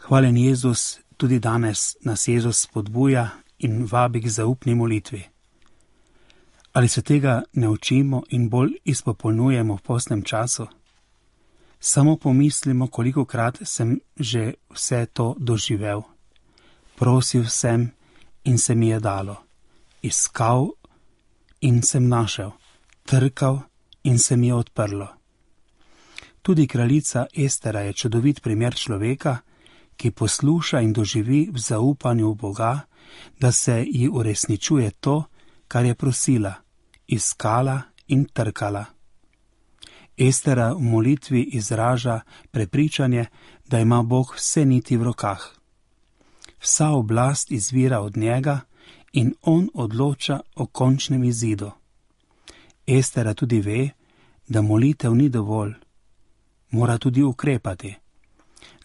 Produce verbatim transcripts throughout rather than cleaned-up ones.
Hvalen Jezus, tudi danes nas Jezus spodbuja in vabi k zaupni molitvi. Ali se tega ne učimo in bolj izpopolnjujemo v postnem času? Samo pomislimo, kolikokrat sem že vse to doživel. Prosil sem in se mi je dalo. Iskal in sem našel. Trkal in se mi je odprlo. Tudi kraljica Estera je čudovit primer človeka, ki posluša in doživi v zaupanju v Boga, da se ji uresničuje to, kar je prosila, iskala in trkala. Estera v molitvi izraža prepričanje, da ima Bog vse niti v rokah. Vsa oblast izvira od njega in on odloča o končnem izidu. Estera tudi ve, da molitev ni dovolj, mora tudi ukrepati.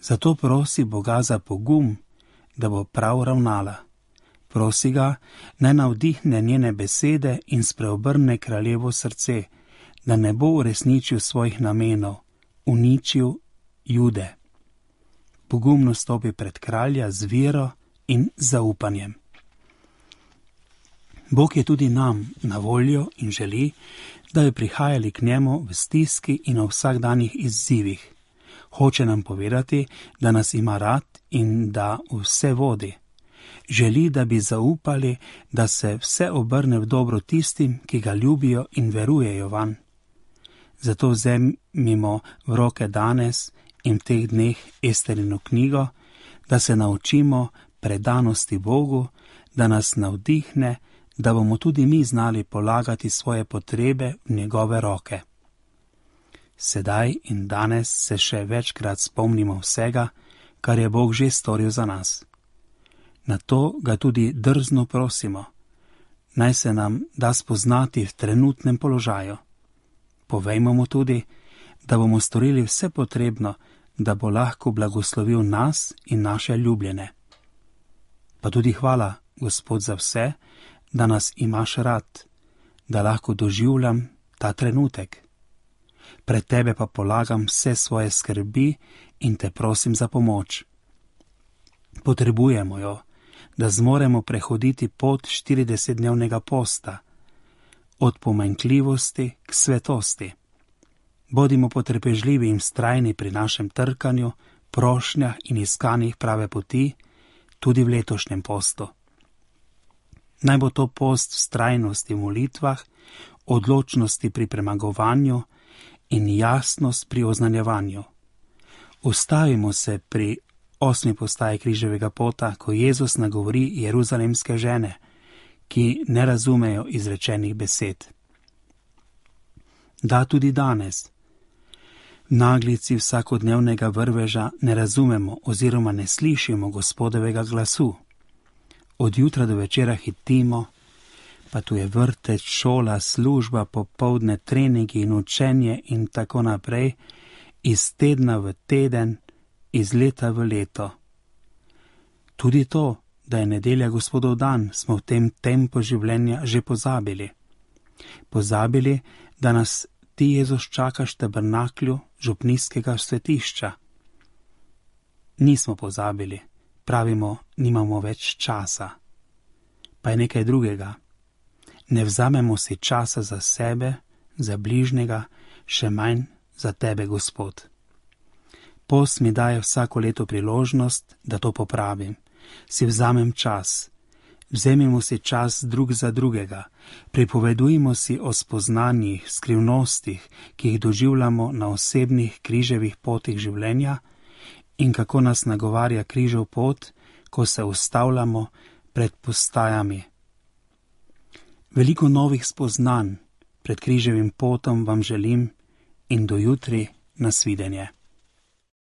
Zato prosi Boga za pogum, da bo prav ravnala. Prosi ga, naj navdihne njene besede in spreobrne kraljevo srce, da ne bo uresničil svojih namenov, uničil Jude. Pogumno stopi pred kralja z vero in zaupanjem. Bog je tudi nam na voljo in želi, da bi prihajali k njemu v stiski in v vsakdanjih izzivih. Hoče nam povedati, da nas ima rad in da vse vodi. Želi, da bi zaupali, da se vse obrne v dobro tistim, ki ga ljubijo in verujejo vanj. Zato vzemimo v roke danes in v teh dneh Esterino knjigo, da se naučimo predanosti Bogu, da nas navdihne, da bomo tudi mi znali polagati svoje potrebe v njegove roke. Sedaj in danes se še večkrat spomnimo vsega, kar je Bog že storil za nas. Na to ga tudi drzno prosimo, naj se nam da spoznati v trenutnem položaju. Povejmo mu tudi, da bomo storili vse potrebno, da bo lahko blagoslovil nas in naše ljubljene. Pa tudi hvala, Gospod, za vse, da nas imaš rad, da lahko doživljam ta trenutek. Pred tebe pa polagam vse svoje skrbi in te prosim za pomoč. Potrebujemo jo, da zmoremo prehoditi pot štiridesetdnevnega posta, od pomanjkljivosti k svetosti. Bodimo potrpežljivi in vztrajni pri našem trkanju, prošnjah in iskanjih prave poti, tudi v letošnjem postu. Naj bo to post vztrajnosti v molitvah, odločnosti pri premagovanju in jasnost pri oznanjevanju. Ustavimo se pri osmi postaji križevega pota, ko Jezus nagovori jeruzalemske žene, ki ne razumejo izrečenih besed. Da tudi danes, v naglici vsakodnevnega vrveža ne razumemo oziroma ne slišimo Gospodovega glasu. Od jutra do večera hitimo, pa tu je vrtec, šola, služba, popoldne, treningi in učenje in tako naprej, iz tedna v teden, iz leta v leto. Tudi to, da je nedelja Gospodov dan, smo v tem tempu življenja že pozabili. Pozabili, da nas ti Jezus čakaš v tabernaklju župnijskega svetišča. Nismo pozabili, pravimo, nimamo več časa. Pa je nekaj drugega. Ne vzamemo si časa za sebe, za bližnjega, še manj za tebe, Gospod. Post mi daje vsako leto priložnost, da to popravim. Si vzamem čas. Vzemimo si čas drug za drugega. Pripovedujmo si o spoznanjih, skrivnostih, ki jih doživljamo na osebnih križevih potih življenja in kako nas nagovarja križev pot, ko se ustavljamo pred postajami. Veliko novih spoznanj pred križevim potom vam želim in do jutri nasvidenje.